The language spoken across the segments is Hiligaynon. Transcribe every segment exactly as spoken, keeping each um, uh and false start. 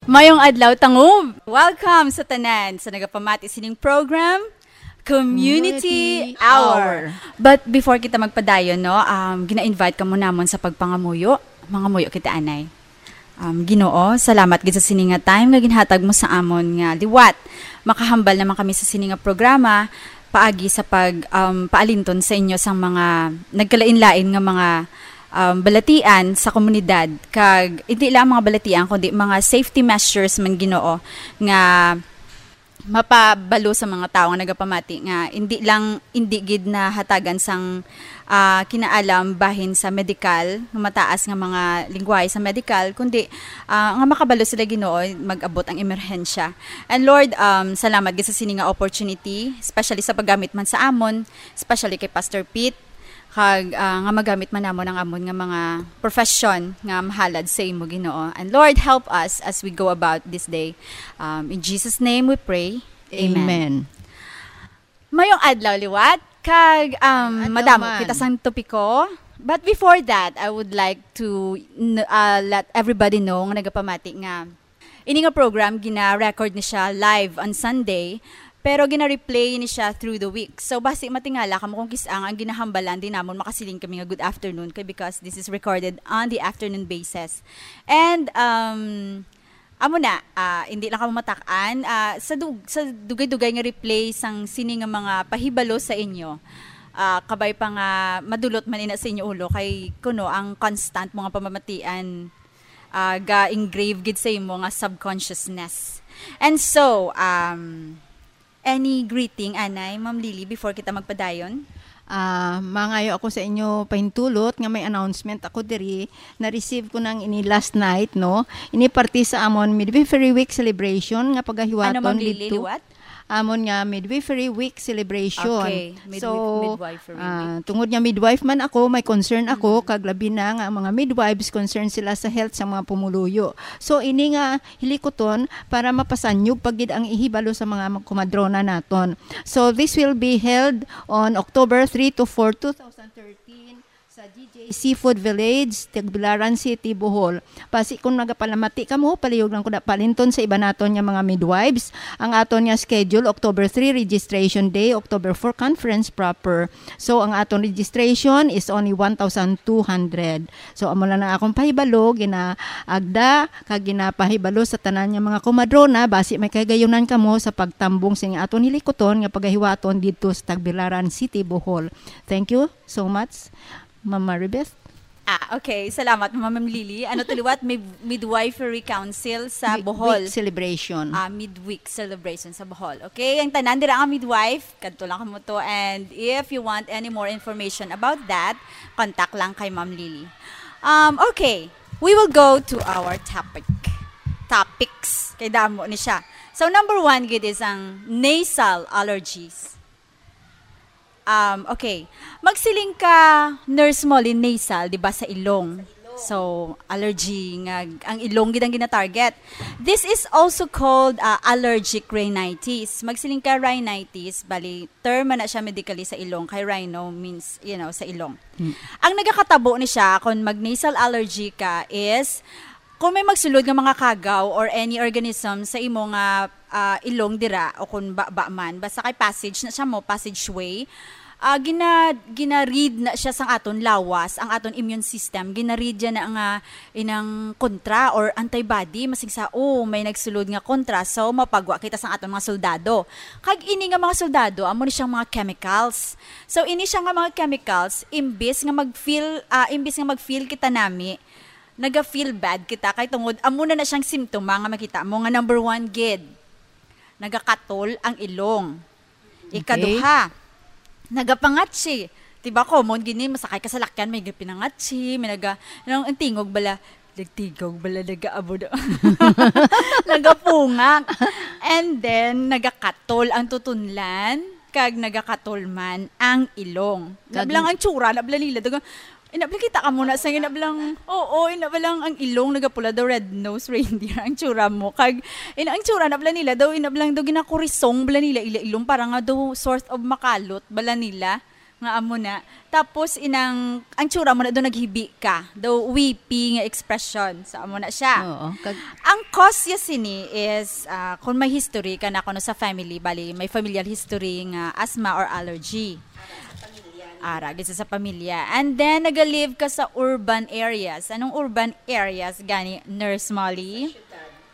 Mayong adlaw, Tangub! Welcome sa tanan sa nagapamati sining program, Community Community Hour. Hour. But before kita magpadayon, no, um, gina-invite ka mo namon sa pagpangamuyo. Mangamuyo kita, anay. Um, Ginoo, salamat gid sa sini nga time nga ginhatag mo sa amon nga liwat. Makahambal naman kami sa sini nga programa paagi sa pag, um, paalinton sa inyo sang mga nagkalain-lain nga mga, um, balatian sa komunidad. Kag hindi lang mga balatian, kundi mga safety measures man, Ginoo, nga mapabalo sa mga tawo nga nagapamati nga hindi lang, hindi gid nahatagan sang, ah, kinaalam bahin sa medikal, nga mataas nga mga lingwahe sa medikal, kundi, ah, nga makabalo sila, Ginoo, mag-abot ang emerhensya. And Lord, um, salamat gid sa sini nga opportunity, especially sa paggamit man sa amon, especially kay Pastor Pete, kag, ah, nga magamit man namon ang amon nga mga profession nga mahalad sa imo, Ginoo. And Lord, help us as we go about this day. Um, in Jesus' name we pray. Amen. Amen. Mayong adlaw liwat, kag, um, Mayong adlaw madamo man. Kita sang topiko. But before that, I would like to n-, uh, let everybody know nga nagapamati nga ini nga program, gina-record ni siya live on Sunday, pero gina-replay ni siya through the week. So, basi matingala kamo kung kis-ang ang ginahambalan, di namon makasiling kami nga good afternoon kay, because this is recorded on the afternoon basis. And, um, amo na, ah, hindi lang kamo matak-an, ah, sa dug-, sa dugay-dugay nga replay sang sini nga mga pahibalo sa inyo, ah, kabay pa nga madulot man ina sa inyo ulo kay kuno ang constant mga pamamatian, ah, ga-engrave gid sa imo nga subconsciousness. And so, um, any greeting, anay, Ma'am Lily, before kita magpadayon? Ah, mangayo ako sa inyo pahintulot nga may announcement ako diri. Na-receive ko nang ini last night, no? Ini parte sa amon Midwifery Week celebration nga pagahiwaton Ano, Ma'am Lily, didto. Liwat? Amon nga Midwifery Week celebration. Okay, midwif-, So, midwifery ah, week. Tungod nga midwife man ako, may concern ako, Mm. kag labi na nga ang mga midwives, concern sila sa health sa mga pumuluyo. So, ini nga hilikuton para mapasanyog pa gid ang ihibalo sa mga mag-, kumadrona naton. So, this will be held on October three to four, two thousand thirteen, sa G J Seafood Village, Tagbilaran City, Bohol. Basi kung nagapalamati kamo, palihog lang ko na palinton sa iba naton nga mga midwives. Ang aton nga schedule, October three, registration day, October four, conference proper. So, ang aton registration is only one thousand two hundred. So, amo lang ang akong pahibalo, ginaagda, kag ginapahibalo sa tanan nga mga kumadrona, basi may kahigayunan kamo sa pagtambong sing aton hilikuton nga pagahiwaton didto sa Tagbilaran City, Bohol. Thank you so much, Ma'am Maribeth. Ah, okay. Salamat, Ma'am Lily. Ano to liwat? Mid-, Midwifery Council sa Mi-, Bohol. Week celebration. Ah, midweek celebration sa Bohol. Okay, ang tanan dira ang midwife, kadto lang kamo to. And if you want any more information about that, contact lang kay Ma'am Lily. Um, okay, we will go to our topic. Topics. Kay damo ni siya. So, number one gid is ang nasal allergies. Um, okay. Magsiling ka, Nurse Molly, nasal, di ba, sa ilong? Sa ilong. So, allergy nga, ang ilong gid ang ginatarget. This is also called, uh, allergic rhinitis. Magsiling ka, rhinitis, bali, term man na siya medically sa ilong, kay rhino means, you know, sa ilong. Hmm. Ang nagakatabo ni siya, kung mag-nasal allergy ka, is kung may magsulod nga mga kagaw or any organism sa imo nga, ah, ilong dira o kung baba man, basta kay passage na siya mo, passageway, ah, gina-, gina-read na siya sang aton lawas, ang aton immune system, gina-read niya na nga inang kontra or antibody, masing sa, "Oh, may nagsulod nga kontra," so mapagwa kita sang aton mga soldado. Kag ini nga mga soldado, amo ni siyang mga chemicals. So, ini siya nga mga chemicals, imbis nga mag-feel, ah, imbis nga mag-feel kita nami, naga-feel bad kita kay tungod amo na na siyang simptoma nga makita mo nga number one gid, nagakatol ang ilong. Okay. Ikaduha, nagapangatsi. Diba, common gini, masakay ka sa lakyan, may pinangatsi, may naga-, ang, ang tingog bala, nagtigog bala, nagaabo na. Nagapungak. And then, nagakatol ang tutunlan, kag nagakatol man ang ilong. Kag Nablang ang tsura, nabla nila, daga, inabla kita ka muna sa inablang, oo, inablang ang ilong, nagapula daw red nose reindeer ang tsura mo. Kag, in, ang tsura, nabla nila daw, inablang daw, ginakurisong bala nila, ila ilong, para nga daw, sort of makalot, bala nila. Nga amo na. Tapos inang, ang tsura mo na do naghibi ka. Do weepy nga expression. So, amo na siya. Oo. Kag Ang cause ya sini is, ah, kung may history ka na kuno sa family, bali, may familial history nga asthma or allergy. Ara, gid sa pamilya. And then, naga-live ka sa urban areas. Anong urban areas gani, Nurse Molly?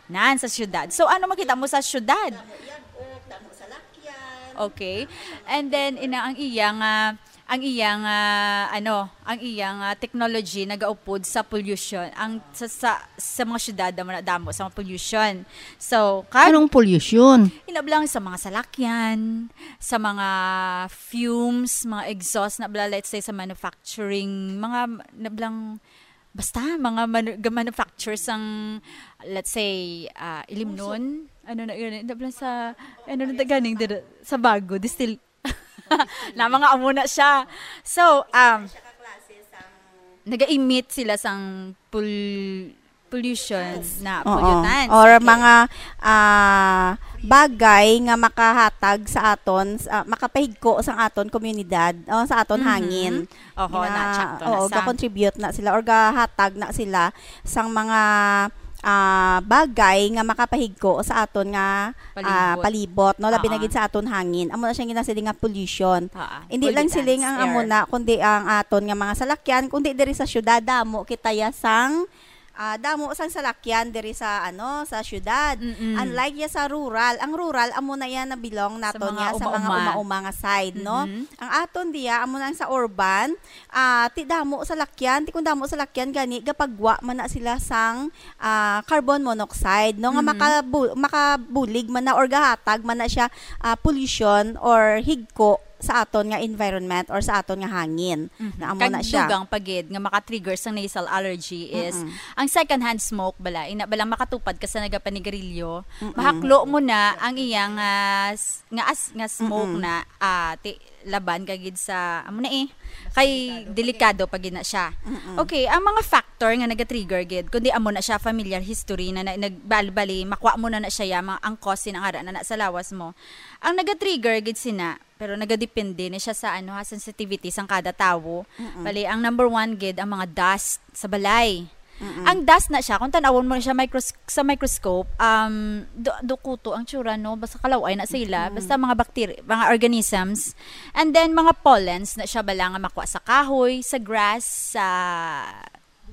Nan, sa syudad. So, ano makita mo sa syudad? Okay. And then, ina, ang iya nga, ang iya nga, ano, ang iya nga technology nagaupod sa pollution. Ang sa, sa, sa mga syudad, damo na damo sa mga pollution. So, kag Anong pollution? Inablang sa mga salakyan, sa mga fumes, mga exhaust na bla, let's say, sa manufacturing, mga nablang, basta, mga manu-, ga-, manufacture sang, let's say, ah, ilimnon, ano na yun, nablang sa, ano na ganing dira, sa bago, distill, na mga amo na siya. So, um, naga-emit sila sang pol-, pollution na Oo. pollutants. Or Okay. mga, ah, bagay nga makahatag sa aton, s-, ah, makapahigko sa aton komunidad, o sa aton Mhm. hangin. Oho, Nga, na, tsakto na oo, sa ga-contribute na sila or gahatag na sila sang mga, ah, bagay nga makapahigko sa aton nga, ah, Palibot. palibot, no? Labi na Oo. gid sa aton hangin. Amo na siya ginasiling nga pollution. Oo. Hindi lang siling Pollutants, ang amo air. na, kundi ang aton nga mga salakyan, kundi diri sa syudad, damo kita ya sang, ah, damo sang salakyan diri sa, ano, sa syudad. Mm-mm. Unlike ya sa rural, ang rural, amo na yan na belong Sa naton mga ya sa mga uma-uma. uma-uma nga side, no? Mhm. Ang aton diya, amo na ang sa urban, ah, ti damo salakyan, ti kung damo salakyan gani, gapagwa man na sila sang, ah, carbon monoxide, no? Nga Mhm. makabu-, makabulig man na or gahatag man na siya, ah, pollution or higko sa aton nga environment or sa aton nga hangin. Mhm. Nga amo Kag na siya. dugang pa gid nga maka-trigger sang nasal allergy is Mm-mm. ang secondhand smoke bala, ina bala makatupad ka sa nagapanigarilyo, Mm-mm. mahaklo mo na ang iyang, ah, s-, nga as-, nga smoke Mm-mm. na, ah, ti-, laban ka gid sa, amo na eh, kay delikado pa gid na siya. Mm-mm. Okay, ang mga factor nga naga-trigger gid, kundi amo na siya, familial history na, na, nag-, bali-bali, makuha mo na na siya, ya, mga ang cause na nga na, na sa lawas mo. Ang naga-trigger gid sina, pero nagadepende na siya sa, ano, ha, sensitivity sang kada tawo. Mm-mm. Bali, ang number one gid ang mga dust sa balay. Mm-mm. Ang dust na siya, kung tanawon mo na siya micros-, sa microscope, um, du-, dukuto ang tsura, no? Basta kalaw-ay na sila. Mm-mm. Basta mga bacteria, mga organisms. And then, mga pollens na siya bala nga makuha sa kahoy, sa grass, sa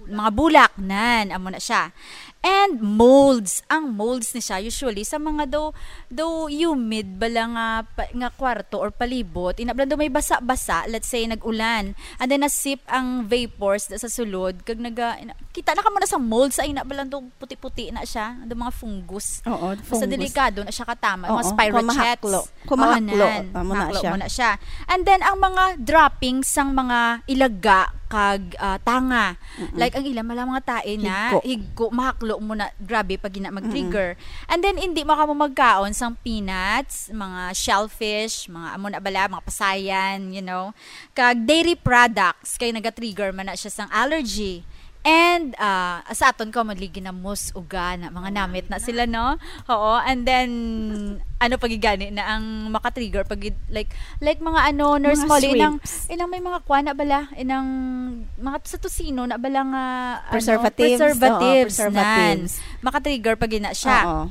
mga bulak, nan, amo na siya. And molds, ang molds ni siya usually sa mga daw, daw humid bala nga pa-, nga kwarto or palibot, ina bala daw may basa-basa, let's say nag-ulan, and then nasip ang vapors da sa sulod, kag naga, ina, kita na ka mo na sa molds, ay ina bala daw puti-puti na siya, daw mga fungus. Oo, Basta fungus. delikado na siya katama, mga Oo, spirochetes. kumahaklo. Kumahaklo, Oo, nan. amo na Mahaklo siya. mo na siya. And then, ang mga droppings sang mga ilaga kag, ah, tanga. Mm-mm. Like, ang ilang mga, mga tae na, Higko. higko, mahaklo mo na, grabe, pag gina-, mag-trigger. Mm-mm. And then, hindi mo ka mo magkaon sang peanuts, mga shellfish, mga amo na bala, mga pasayan, you know. Kag dairy products, kay naga-trigger man na siya sang allergy. And, ah, sa aton commonly, ginamos, uga, na mga Oo, namit na namit na. sila, no? Oo, and then, ano pa gid gani na ang maka-trigger pag gid-, like, like mga ano, Nurse Mga Molly, inang, shrimps. inang may mga kwa na bala, inang mga sa tocino na bala nga, ano, Preservatives. preservatives, Oo, preservatives. nan. Maka-trigger pa gid na siya. Oo.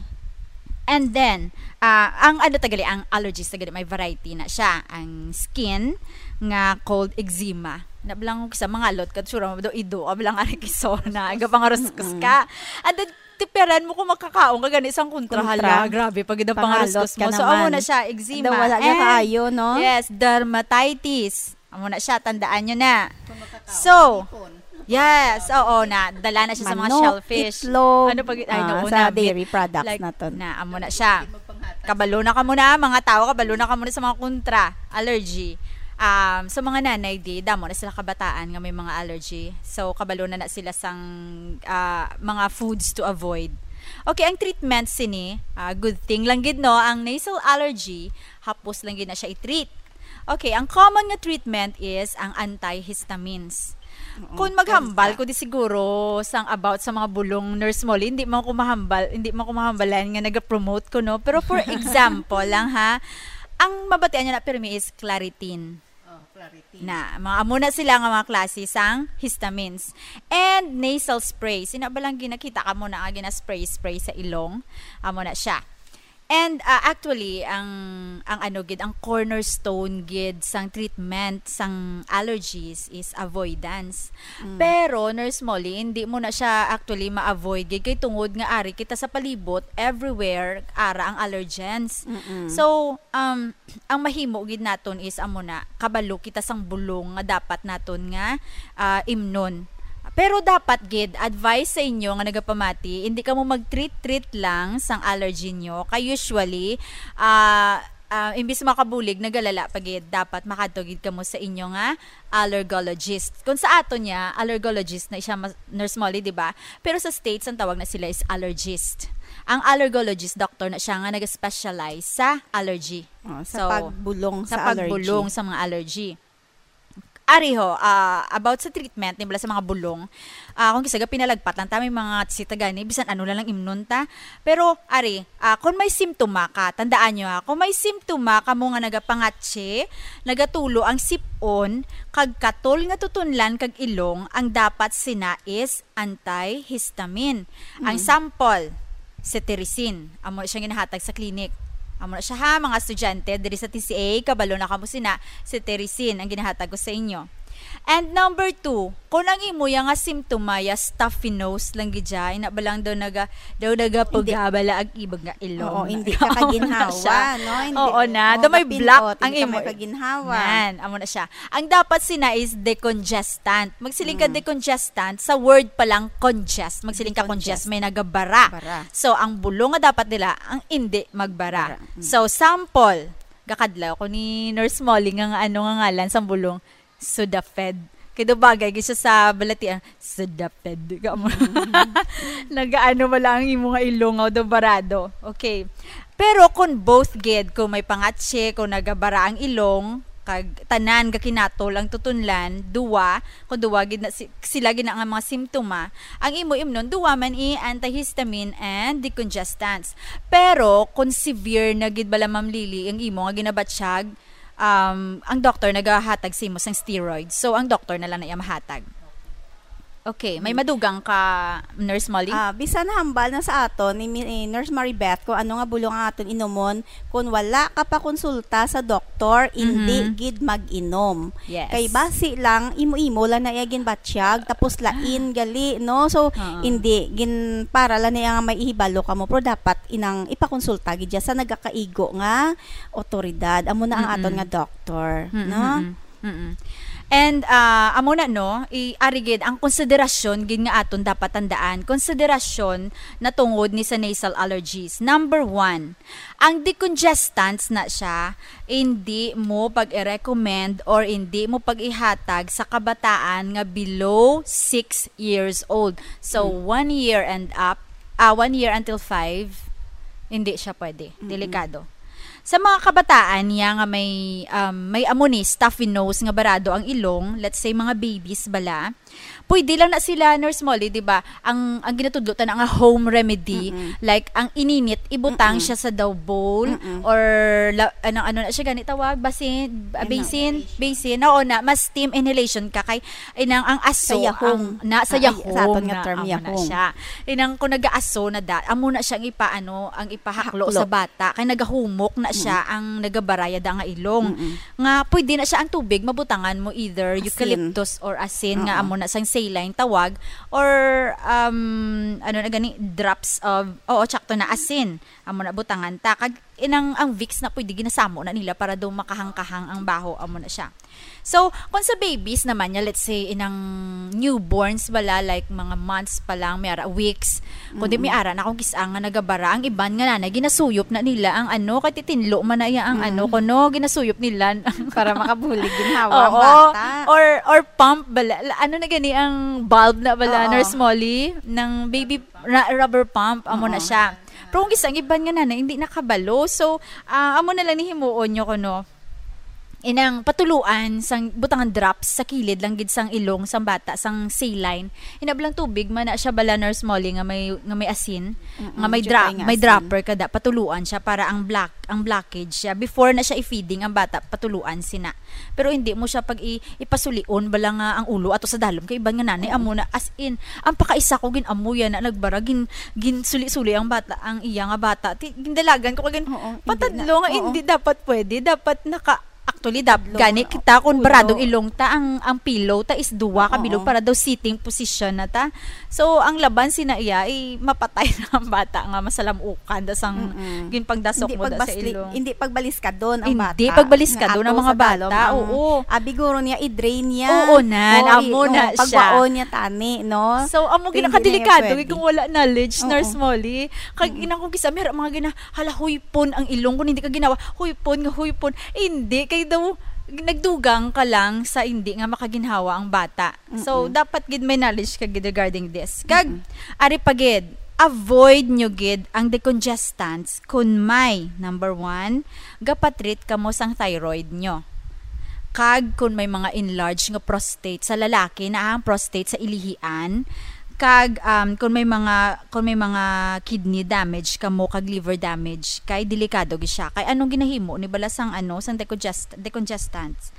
And then, ah, ang ano tagali, ang allergies tagali, may variety na siya. Ang skin nga called eczema. Na bala nga sa mga lot ka, sure mo do ido, ablang ari kiso na, aga pangaruskos Mm-mm. ka. And then, tipiran mo kung makakaon ka gani sang kontra, Kontra. hala, grabe pag gid ang Pangalot pangaruskos ka mo. So, amo naman. na siya, eczema. Daw wala niya And, kaayo, no? yes, dermatitis. Amo na siya, tandaan nyo na. Kung makakaon, So, ipon. yes, oo na. Dala na siya sa mga Manok, shellfish. itlog, Ano pag, ay, ah, no, sa na, meat. dairy products Like, naton. na, amo na siya. Hindi magpanghatas. Kabalo na ka muna, mga tao, kabalo na ka muna sa mga kontra, allergy. Um, sa mga nanay, di, damo na sila kabataan nga may mga allergy. So, kabalo na na sila sang, ah, mga foods to avoid. Okay, ang treatment sini, ah, good thing lang gid, no, ang nasal allergy, hapos lang gid na siya i-treat. Okay, ang common nga treatment is ang antihistamines. Oo, Kung maghambal basta. ko di siguro sang about sa mga bulong, Nurse Molly, hindi mo ko mahambal, hindi mo ko mahambalan nga nag-promote ko, no? Pero for example lang, ha, ang mabatian niya na pirmi is Claritin. Oh, Na, mga amo na sila nga mga klase sang histamines. And nasal sprays. Ina ba lang ginakita ka mo na nga gina-spray-spray sa ilong? Amo na siya. And, ah, actually, ang, ang ano gid, ang cornerstone gid sang treatment sang allergies is avoidance. Mm. Pero, Nurse Molly, hindi mo na siya actually ma-avoid gid kay tungod nga ari kita sa palibot, everywhere, ara ang allergens. Mm-mm. So, um, ang mahimo gid naton is amo na, kabalo kita sang bulong nga dapat naton nga, ah, imnon. Pero dapat gid, advice sa inyo nga nagapamati, hindi kamo mag-treat-treat lang sang allergy nyo. Kay usually, ah, ah, imbis makabulig, nagalala pa gid. Dapat makadto gid kamo sa inyo nga allergologist. Kung sa aton niya, allergologist na siya, mas-, Nurse Molly, di ba? Pero sa States, ang tawag na sila is allergist. Ang allergologist, doctor na siya nga nag-specialize sa allergy. Oh, sa So, pagbulong sa sa allergy. pagbulong sa mga allergy. Ari ho, ah, about sa treatment, ni bala sa mga bulong, ah, kung kisa ga pinalagpat lang ta, may mga sita gani, bisan ano lang lang imnon ta. Pero, ari, ah, kung may simptoma ka, tandaan nyo ha, kung may simptoma ka mo nga nagapangatsi, nagatulo ang sipon, kag katol nga tutunlan kag ilong, ang dapat sina is antihistamine. Ang Mm. sample, cetirizine. Amo siya ginahatag sa clinic. Amo na siya ha, mga estudyante, diri sa T C A, kabalo na kamo sina, cetirizine ang ginahatag ko sa inyo. And number two, kung ang imo ya nga simptoma ya stuffy nose lang gid siya, ina ba lang daw naga, daw nagapugabala ang ibag nga ilong. Oo, hindi ka Amo na kaginhawa, siya. no? Hindi, Oo na, oo, daw may mapinot, block ang hindi ka imo. may kaginhawa. Nan, amo na siya. Ang dapat sina is decongestant. Magsiling ka Mm. decongestant, sa word pa lang congest. Magsiling ka congest, Decongest. may nagabara. Bara. So, ang bulong nga dapat nila, ang hindi magbara. Bara. Mm. So, sample, gakadlaw ko ni Nurse Molly nga, nga ano nga ngalan sang bulong, Sudafed. Kay daw bagay gid siya sa balatian, Sudafed. Ka mo. Mm. Nagaano mo lang ang imo nga ilong, daw barado. Okay. Pero kung both gid, kung may pangatse, kung nagabara ang ilong, kag tanan gakinatol ang tutunlan, duwa, kung duwa gid na si-, sila gid na nga mga simptoma, ang imo imnon, duwa man i antihistamine and decongestants. Pero kung severe na gid bala, Ma'am Lily, ang imo nga ginabatsyag, um, ang doktor nagahatag sa imo sang steroids. So, ang doktor na lang na iya mahatag. Okay, may Mm. madugang ka, Nurse Molly? Ah, bisan hambal na sa aton ni Mi-, ni Nurse Maribeth kung ano nga bulong ang aton inumon, kung wala ka pa konsulta sa doktor, hindi Mhm. gid mag-inom. Yes. Kay basi lang, imo-imo lang na iya ginbatyag, tapos lain gali, no? So, Oo. hindi, gin-, para lang niya nga may ihibalo ka mo, pero dapat inang ipakonsulta gid siya sa nagakaigo nga otoridad. Amo na ang Mm-mm. aton nga doktor, Mm-mm, no? mm-mm, mm-mm. And, ah, amo na, no, i-, ari gid ang konsiderasyon gid nga aton dapat tandaan. Konsiderasyon na tungod ni sa nasal allergies. Number one, ang decongestants na siya, hindi mo pag-i-recommend or hindi mo pag-ihatag sa kabataan nga below six years old. So, Hmm. one year and up, ah, one year until five, hindi siya pwede. Mm-mm. Delikado. Sa mga kabataan niya nga may, um, may amo ni stuffy nose nga barado ang ilong, let's say mga babies bala, pwede lang na sila, Nurse Molly, di ba? Ang, ang ginatudlo ta na nga home remedy, Mm-mm. like ang ininit, ibutang Mm-mm. siya sa daw bowl, Mm-mm. or la-, anong, ano na siya gani tawag? Basin, ah, Ano? basin, basin. Oo na, mas steam inhalation ka kay inang ang aso, Sa yahong. ang, na, sa Ah, ay, yahong sa aton nga na, term, amo na yahong. siya. Inang kung nagaaso na da, amo na siya ang ipaano, ang ipahaklo Haklo. sa bata, kay nagahumok na siya Mm. ang nagabaraya da nga ilong. Mm-mm. Nga pwede na siya ang tubig, mabutangan mo either Asin. eucalyptus or asin nga Oo. amo na sang saline tawag, or, um, ano na gani, drops of, oo, tsakto na asin. Amo na butangan ta. Kag inang ang Vicks na pwede ginasamo na nila para daw makahangkahang ang baho, amo na siya. So, kung sa babies naman niya, let's say, inang newborns bala, like, mga months pa lang, may ara, weeks, kundi may Mm. ara na kung kis-a nga nagabara, ang iban nga nanay, ginasuyop na nila ang ano, kay titinlo man na iya ang Mm. ano, kuno, ginasuyop nila. Para makabulig ginhawa ang Oo. bata. Or, or pump bala, la-, ano na gani ang bulb na bala, Oo. Nurse Molly, ng baby ra-, rubber pump, amo na Oo. siya. Pero kung kis-a ang iban nga nanay, hindi nakabalo. So, ah, amo na lang ni himuon nyo kuno. inang patuluan sang butangan drops sa kilid lang gid sang ilong sang bata, sang saline. Hinablang tubig man na siya bala, Nurse Molly, nga may, nga may asin, Mm-mm, nga may siya dra- kay nga may asin. Dropper kada, patuluan siya para ang black ang blockage siya. Before na siya i-feeding ang bata, patuluan sina. Pero hindi mo siya pag i- ipasulion bala nga ang ulo ato sa dalom kay iban nga nanay. Oo. Amo na, as in, ang pakaisa ko gin-amuyan na nagbara, gin ginsuli-suli ang bata, ang iya nga bata. Ti, gindalagan ko kagin Oo, hindi patadlo na. Nga Oo. Hindi dapat pwede. Dapat naka Actually, dap, Tatlo gani nga kita kung ulo. Baradong ilong ta, ang ang pillow ta is duwa ka Oo. Bilog para daw sitting position na ta. So ang laban sina iya, eh, mapatay na ang bata nga masalamukan da sang Mm-mm. ginpangdasok Hindi mo da sa pagbasli- ilong. Hindi pagbaliskadon ang Hindi bata. pagbaliskadon Nga ang ato mga sa Tagalog, bata, ang oo. Abi guro niya, i-drain niya. Oo, nan, Oo, amo i- na oo, siya. Pagwaon niya tani, no? So, amo Hindi ginakadelikado na pwede. Kung wala knowledge, Oo. Nurse Molly. Kag inang kong kisa, may mga gina, hala, huypon ang ilong kung hindi ka ginawa. Huypon nga huypon. Hindi, kay daw, nagdugang ka lang sa hindi nga makaginhawa ang bata. So, Mm-mm. Dapat gid may knowledge ka gid regarding this. Kag, Mm-mm. Ari pa gid, avoid nyo gid ang decongestants kung may, number one, gapatreat kamo sang thyroid nyo. Kag kung may mga enlarged nga prostate sa lalaki, na ang prostate sa ilihian, kag, um, kung may mga, kung may mga kidney damage kamo kag liver damage, kay delikado gid siya. Kay anong ginahimo ni bala sang, ano, sang decongest-, decongestants?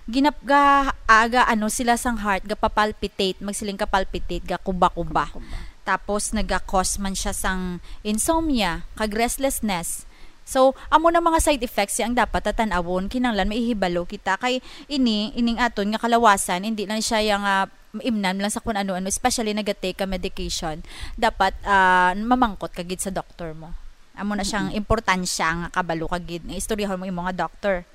Ginap-, ga-, aga, ano, sila sang heart, gapapalpitate, magsiling ka palpitate, gakuba-kuba. Kuba-kuba. Tapos naga-cause man siya sang insomnia, kag restlessness. So, amo na mga side effects siya ang dapat tatan-awon. Kinahanglan maihibalo kita kay ini, ining aton nga kalawasan, hindi lang siya yang, ah, imnan lang sa kun ano-ano, especially naga-take ka medication. Dapat, ah, mamangkot ka gid sa doktor mo. Amo na siyang importansya nga kabalo ka gid, nga istoryahon mo imong nga doktor.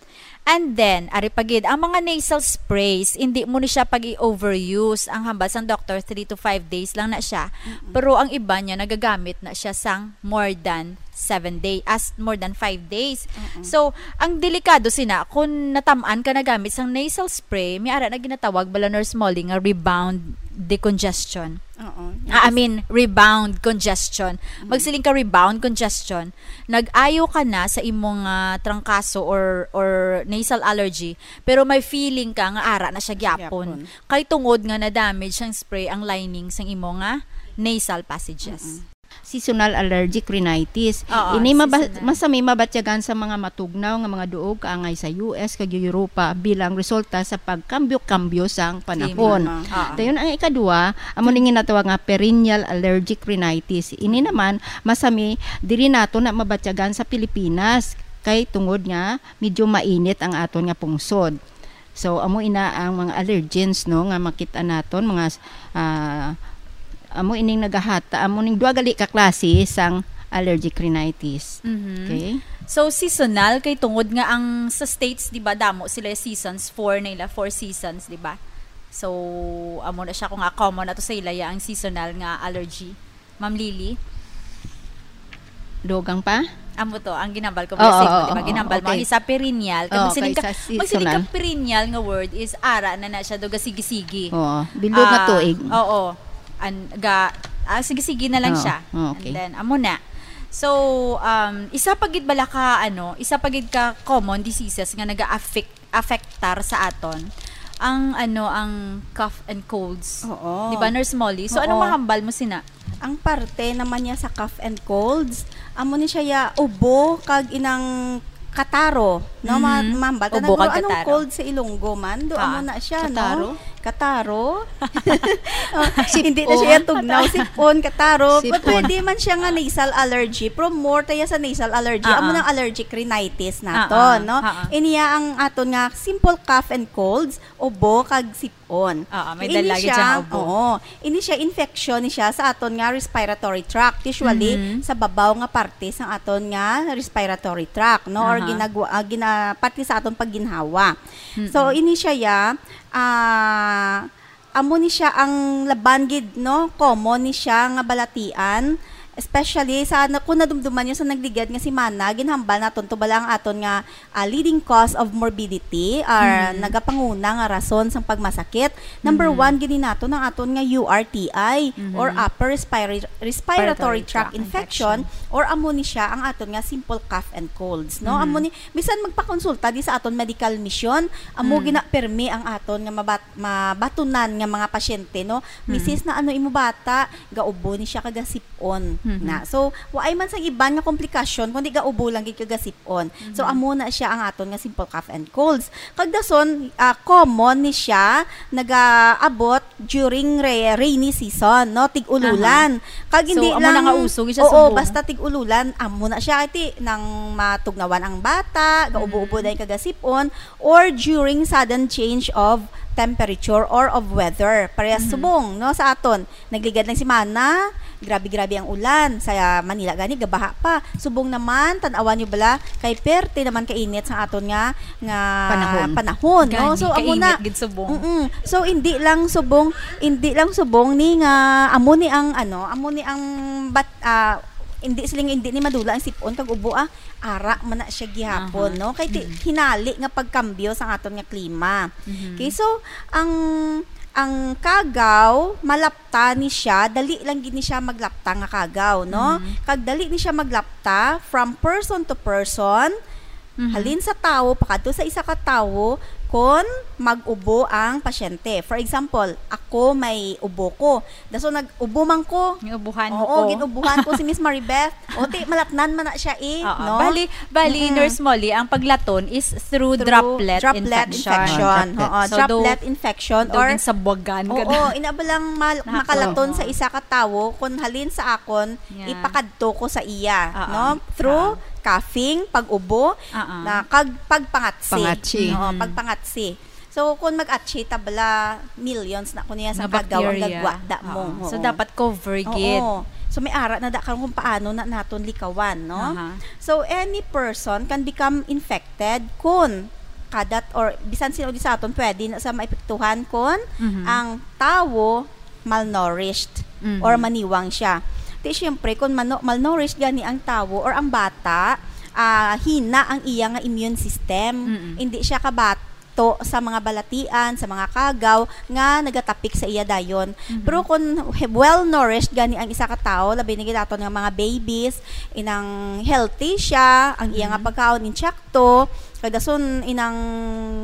And then, ari pa gid, ang mga nasal sprays, hindi mo ni siya pag i-overuse. Ang hambal sang doktor, three to five days lang na siya. Pero ang iba niya, nagagamit na siya sang more than seven days, as more than five days. So, ang delikado sina, kung natam-an ka nagamit sang nasal spray, may ara na ginatawag bala, Nurse Molly, nga rebound decongestion. Oo. Ah, I mean, rebound congestion. Magsiling ka rebound congestion, nag-ayo ka na sa imong, ah, trangkaso or, or nasal allergy, pero may feeling ka nga ara na siya gyapon. Gyapon. Kay tungod nga na-damage sang spray ang lining sang imo nga nasal passages. Seasonal allergic rhinitis. Oo, Ini maba- seasonal. Masami mabatyagan sa mga matugnaw nga mga duog kaangay sa U S kag Europa bilang resulta sa pagkambyo-kambyo sang panahon. Klima. Oo. Dayon, ang ikadua, amo ning ginatawag nga perennial allergic rhinitis. Ini naman masami diri nato na mabatyagan sa Pilipinas kay tungod nga medyo mainit ang aton nga pungsod. So, amo ina ang mga allergens, no, nga makita naton, mga, ah, amo ining nagahata, amo ning duha gali ka klase sang allergic rhinitis. Mhm. Okay? So, seasonal kay tungod nga ang sa States, di ba, damo sila seasons, four na ila, four seasons, di ba? So, amo na siya kung nga common na to sa ila ya ang seasonal nga allergy. Ma'am Lily? Dugang pa? Amo to, ang ginambal ko, Oo, blessing mo, oo, di ba? Oo, Ginambal mo, okay. Ang isa perennial, kag Oo, magsiling ka, kay sa magsiling ka seasonal. Perennial nga word is ara na na siya, do gasigi-sigi. Oo, bilog nga Ah, tuig. Oo. An, ga, ah, sige-sige na lang Oo, siya. oo, okay. And then, amo na. So, um, isa pa gid bala ka, ano, isa pa gid ka common diseases nga naga-affect, affectar sa aton ang, ano, ang cough and colds. Oo. Di ba, Nurse Molly? So, Oo. Anong mahambal mo sina? Ang parte naman niya sa cough and colds, amo ni siya ya ubo kag inang kataro, no? Ma- Mhm. Mahambal ta na Ubo guro, kag anong kataro. cold sa Ilonggo man? Do Ah, amo na siya, kataro? No? Kataro? Oh, Sipon? Hindi na siya tugnaw. Sipon, kataro. Sipon. Pwede man siya nga nasal allergy, pero more tayo sa nasal allergy. Ah, Amo ah. nang allergic rhinitis nato, Ah, ah, no? ah, ah. Iniya ang aton nga simple cough and colds, ubo kag sipon. Ah, ah, may Ini dala gid siya, siya nga ubo. Oo. Ini siya infection ni siya sa aton nga respiratory tract. Usually, Mhm. sa babaw nga parte sa aton nga respiratory tract, no? Or Aha. ginagwa, ah, gina, parte sa aton pagginhawa. So, ini siya ya, ah, amo ni siya ang laban gid, no? Common ni siya nga balatian Especially sa na, kung nadumduman niyo sa nagligad nga semana, ginhambal naton to bala ang aton nga, ah, leading cause of morbidity or Mm. nagapanguna nga rason sang pagmasakit. Number Mm. one gid ni naton ang aton nga U R T I or Mhm. upper respira-, respiratory Respiratory tract tract infection, infection. Or amo ni siya ang aton nga simple cough and colds, no? Mhm. Amo ni, bisan magpakonsulta di sa aton medical mission, amo Mm. gina permi ang aton nga mabat-, mabatunan nga mga pasyente, no? Mm. Misis, na ano imo bata, gaubo ni siya kag gasip-on Mhm. na. So, waay man sang iban nga komplikasyon, kundi gaubo lang gid kag gasip-on. So, Mhm. amo na siya ang aton nga simple cough and colds. Kag dason, ah, common ni siya, nagaabot during re-, rainy season, no? Tig-ululan. Aha. Kag So, hindi amo na lang, nga uso, gid siya oo, subong. Basta tig-ululan, amo na siya. Kay ti, nang matugnawan ang bata, gaubo-ubo Mhm. na yung kagasip-on, or during sudden change of temperature or of weather. Parehas Mhm. subong, no, sa aton. Nagligad lang semana, grabe-grabe ang ulan. Sa Manila gani, gabaha pa. Subong naman, tan-awan niyo bala, kay perte naman kainit sa aton nga, nga Panahon. panahon, no? Gani, So, amo na. kainit gid subong. Mm-mm. So, hindi lang subong, hindi lang subong ni nga, amo ni ang, ano, amo ni ang bat-, ah, hindi siling, hindi ni madula ang sipon kag ubo, ah. Ara man na siya gihapon, Aha. no? Kay ti-, Mm. hinali nga pagkambyo sa aton nga klima. Mhm. Okay, so, ang, ang kagaw, malapta ni siya, dali lang gid ni siya maglapta nga kagaw, no? Mhm. Kag dali ni siya maglapta from person to person, Mhm. halin sa tawo pakadto sa isa ka tawo, kon mag-ubo ang pasyente. For example, ako may ubo ko. Daso nag-ubo man ko. Ginubuhan mo Oo, ko. ginubuhan ko si Miss Maribeth. O, ti, malatnan man na siya eh, Oo. no? Bali, bali, Mm-mm. Nurse Molly, ang paglaton is through Through droplet droplet infection. infection. Ah, droplet. Oo, So, droplet do-, infection do or ginsabwagan ka Oo, na. ina ba lang mal-, Nahapon. makalaton sa Oo. isa ka tawo, kung halin sa akon, Yeah. ipakadto ko sa iya, Oo. no? Through Oo. coughing, pag-ubo, Oo. na kag pagpangatsi. Pangatsi. Oo, Mm. pagpangatsi. So, kung mag-atsi ta bala, millions na kuno sa Nga kagaw ang bacteria. gagwa da mo. Oo. So, Oo. dapat cover Oo. gid. So, may ara na da karon kung paano na naton likawan, no? Aha. So, any person can become infected kung kadat or bisan sino di sa aton pwede na sa maepektuhan kung Mhm. ang tawo malnourished Mhm. or maniwang siya. Ti, syempre, kung mano-, malnourished gani ang tawo or ang bata, ah, hina ang iya nga immune system. Mm-mm. Hindi siya kabato sa mga balatian, sa mga kagaw nga nagatapik sa iya dayon. Mhm. Pero kung he-, well-nourished gani ang isa ka tawo, labi na gid aton nga mga babies, inang healthy siya, ang iya nga Mhm. pagkaon intsakto, kag dason inang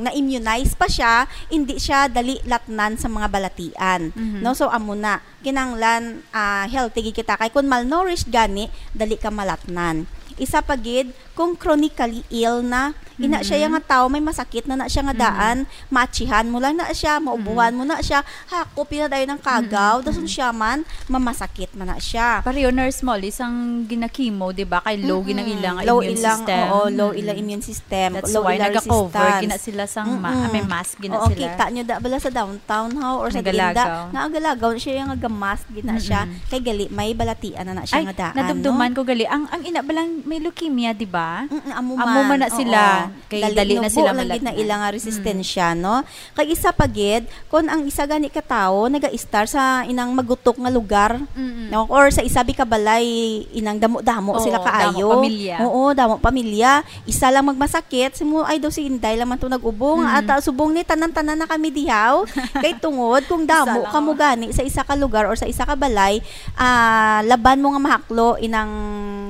na-immunize pa siya, hindi siya dali latnan sa mga balatian. Mhm. No? So, amo na. Kinahanglan, ah, healthy gid kita. Kay kung malnourished gani, dali ka malatnan. Isa pa gid, kung chronically ill na, ina siya Mhm. yang nga tawo, may masakit na na siya nga Mhm. daan, maatsihan mo lang na siya, maubuhan Mhm. mo na siya, hakop yun na dayon ang kagaw, Mhm. dason Mhm. siya man, mamasakit man na siya. Pareho, Nurse Molly, sang ginakimo, di ba? Kay low Mm-mm. ginang ilang Low immune ilang, system. oo, low Mm-mm. ilang immune system, That's low why ilang naga-cover resistance. gina sila sang ma-, Mm-mm. may mask gina Oo, sila. kita nyo da bala sa downtown, ha, or sa Nagalagaw. Glinda, nga agalagaw na siya, nga gamask gina siya. Mm-mm. Kay gali, may balatian na na siya Ay, nga daan, nadumduman no? ko gali. Ang, ang ina balang may leukemia, di ba? Mm-mm, amo Amo man. man na Oo. sila. Kay Dali dali na nubo sila lang gid na malatnan. ila nga Mm. resistensya, no? Kag isa pa gid, kung ang isa gani ka tawo naga-istar sa inang magutok nga lugar, Mm-mm. no? Or sa isa bi ka balay, inang damo-damo Oo, sila kaayo. damo pamilya. Oo, damo pamilya. Isa lang magmasakit, simo, "Ay, daw si Inday lang man to nag-ubo." Nga Mm. ata, subong ni, tanan-tanan na kami dihaw. Kay tungod, kung Isa damo lang. ka mo gani sa isa ka lugar or sa isa ka balay, ah, laban mo nga mahaklo, inang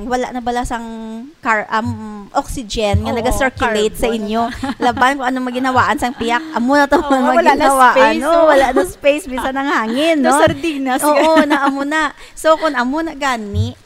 wala na bala sang car-, um, oxygen nga Oo, naga-circulate sa carbon inyo. na. Laban kung ano maginhawaan sang piyak. Amo na to Oo, man wala na maginhawaan, space, no? oh. Wala na space, bisan ang hangin, No no? sardinas, Oo, gano'n. na amo na. So, kung amo na gani,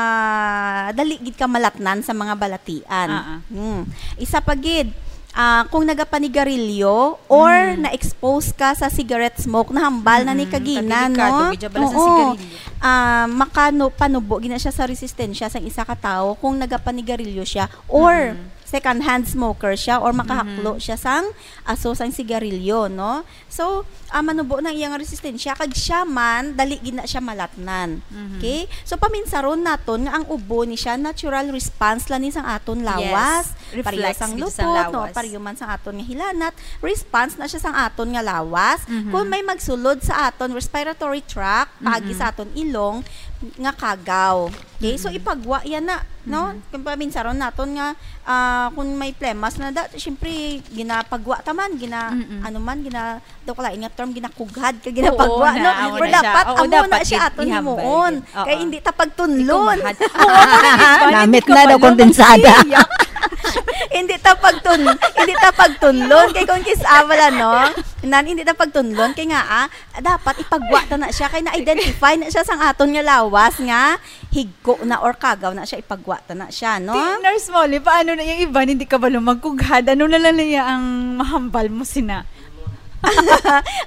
ah, dali gid ka malatnan sa mga balatian. Ah, ah. Hmm. Isa pa gid, ah, kung nagapanigarilyo or Mm. na-expose ka sa cigarette smoke, nahambal na ni Mm, kagina, kadelikado no? gid siya bala sa Oo. sigarilyo. Ah, makano-, panubo gina siya sa resistensya sang isa ka tawo kung nagapanigarilyo siya or Mm. second-hand smoker siya or makahaklo Mm. siya sang aso sang sigarilyo, no? So, ah, manubo na ang iyang resistensya, kag siya man, dali gid na siya malatnan. Mhm. Okay? So, paminsaron naton nga ang ubo ni siya, natural response lang ni sang aton Yes. lawas. Reflex Pareho sang gid sa lupot, no? lawas. Pareho man sang aton nga hilanat. Response na siya sang aton nga lawas. Mhm. Kung may magsulod sa aton respiratory tract, paagi Mhm. sa aton ilong, nga kagaw. Okay, so Mm-mm. ipagwa yan na, no? Mhm. Kung paminsaron naton nga, ah, kung may plemas na da, syempre, ginapagwa ta man, gina, Mm-mm. ano man, gina, daw kalain nga term, ginakughad, ka ginapagwa, Oo no? na, amo Pero na siya. dapat, Oo, amo na dapat siya i-, aton ihambal himuon. gid. Oo. Kaya hindi ta pagtunlon. Ikughad. Oo, ano yun? Paano Namit hindi na daw, kabalo? kondensada. Hindi ta pagtun, hindi ta pagtunlon. Kay kung kis-a bala, no? Nan, hindi ta pagtunlon. Kay nga, ah, dapat ipagwa ta na siya. Kay na-identify na siya sang aton nga lawas nga higko na or kagaw na siya, ipagwa ta na siya, no? Ti, Nurse Molly, paano na yung iban hindi kabalo magkughad? Ano na lang niya ang mahambal mo sina?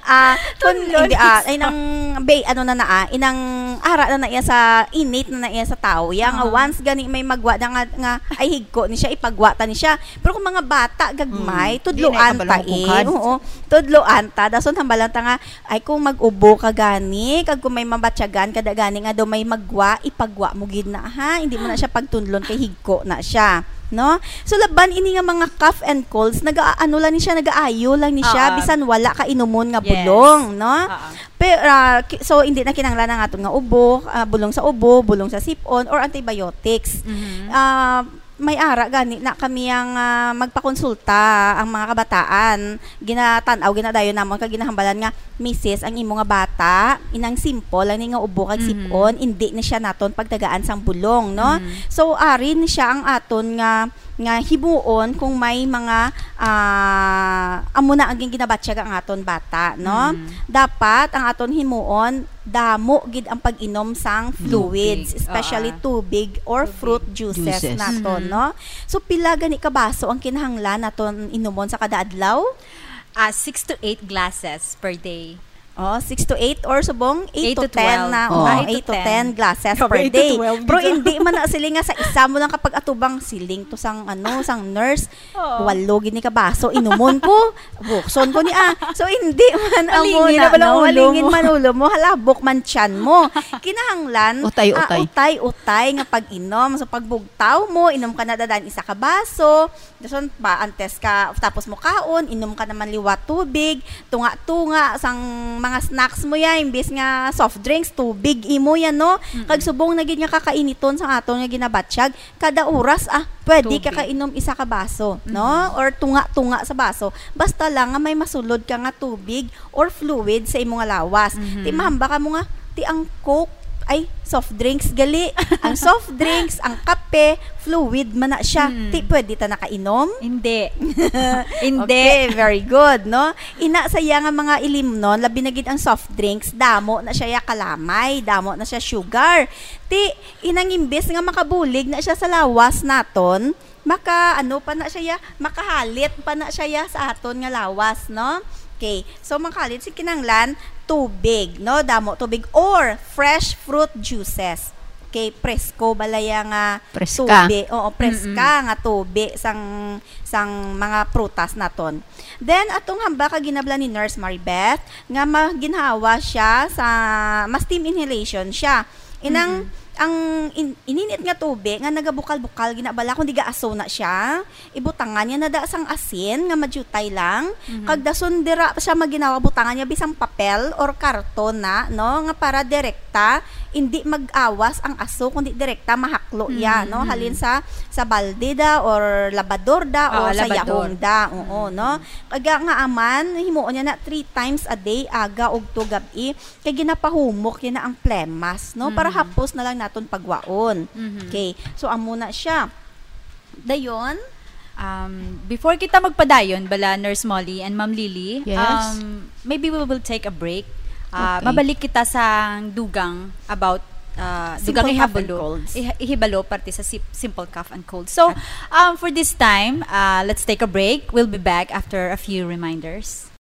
Ah, kun, Tunlon. Hindi, ah, ay nang, bay, ano na na, ah, inang ara na na iya sa, innate na na iya sa tao. Yang, ah, Ah. once gani may magwa na nga, nga, ay higko ni siya, ipagwa ta ni siya. Pero kung mga bata, gagmay, Mm. tudloan Di na kabalo ta magkughad. Eh. Oo, tudloan ta. Dason hambalan ta nga, ay kung mag-ubo ka gani, kag kung may mabatyagan ka da gani nga daw may magwa, ipagwa mo gid na, ha? Hindi mo na siya pagtunlon kay higko na siya, no? So, laban ini nga mga cough and colds, naga-, ano lang ni siya, nagaayo lang ni siya, Oo. bisan wala ka inumon nga Yes. bulong, no? Oo. Pero, ah, ki-, so, hindi na kinahanglan ang aton nga ubo, ah, bulong sa ubo, bulong sa sipon, or antibiotics. Mhm. Ah, may ara gani na kami ang, ah, magpakonsulta ang mga kabataan. Ginatan-aw, ginadayon namon kag ginahambalan nga, "Misis, ang imo nga bata, inang simple lang ni nga ubo kag Mhm. sipon, hindi ni siya naton pagtagaan sang bulong, no?" Mhm. So, ari ni siya ang aton nga, nga himuon kung may mga, ah, amo na ang ginabatyag ang aton bata, no? Mhm. Dapat ang aton himuon, damo gid ang pag-inom sang fluids, Tubig, especially oo. Tubig or Tubig. Fruit juices, Juices. Naton, Mhm. no? So, pila gani ka baso ang kinahanglan naton inumon sa kada adlaw? Ah, six to eight glasses per day. Oh, six to eight or subong eight Eight to to ten twelve. na. Oh. Oh, Ah, eight eight to to ten ten. glasses Grabe, per eight to day. twelve Pero gid. Hindi man na sila nga sa isa mo lang kapag atubang siling to sang ano, sang nurse. Oo. Walo gid ni ka baso inumon ko. Bukson ko ni, ah. So, hindi man amo Malingin na, na pala no? ulo Malingin mo. Man ulo mo, halabok man tiyan mo. Kinahanglan, Utay, ah, utay. Utay-utay nga pag-inom. So, pagbugtaw mo, inom ka na dadan isa ka baso. Dason pa, antes ka, tapos mo kaon, inom ka naman liwat tubig, tunga-tunga, sang mga snacks mo yan, imbis nga soft drinks, tubig imo yan, no? Mm-mm. Kag subong na gid nga kakainiton sa aton nga ginabatyag, kada oras, ah, pwede ka Tubig. Kainom isa ka baso, no? Mm-hmm. Or tunga-tunga sa baso. Basta lang nga may masulod ka nga tubig or fluid sa imo nga lawas. Mm-hmm. Ti mahamba ka mo nga, ti ang Coke, ay, soft drinks gali. Ang soft drinks, ang kape, fluid man na siya. Mm. Ti pwede ta nakainom? Hindi. Hindi. Okay, very good, no? Ina sa iya nga mga ilimnon, labi na gid ang soft drinks, damo na siya ya kalamay, damo na siya sugar. Ti, inang imbes nga makabulig na siya sa lawas naton, maka, ano pa na siya ya, makahalit pa na siya ya sa aton nga lawas, no? Okay, so makahalit si kinanglan, tubig, no? Damo tubig or fresh fruit juices. Okay, presko bala ya nga Preska. Tubig. Oo, preska nga tubig sang, sang mga prutas naton. Then, atong hamba ka ginabla ni Nurse Maribeth, nga maginhawa siya sa, ma-steam inhalation siya. Inang, Mm-mm. Ang in-, ininit nga tubig nga nagabukal-bukal, ginabala kung di gaaso na siya, ibutangan niya na da sang asin nga madyutay lang, Mhm. kag dason dira siya maginhawa, butangan niya bisang papel or karton na, no, nga para direkta, hindi mag-awas ang aso, kundi direkta mahaklo iya, no, Mhm. Halin sa, sa balde da or labador da Ah, or sa labador. Yahong da, oo, no. Kag nga aman, himuon niya na three times a day, aga, ugto, gab-i, kay ginapahumok niya na ang plemas, no, para Mhm. hapos na lang naton pagwaon. Mhm. Okay, so amo na siya. Dayon, Um, before kita magpadayon, bala Nurse Molly and Ma'am Lily, Yes. um, maybe we will take a break. Uh, Okay. Mabalik kita sa dugang about uh, Simple dugang cough and ihibalo, colds. Ih- ihibalo parte sa sim- simple cough and cold. So, um, for this time, uh, let's take a break. We'll be back after a few reminders.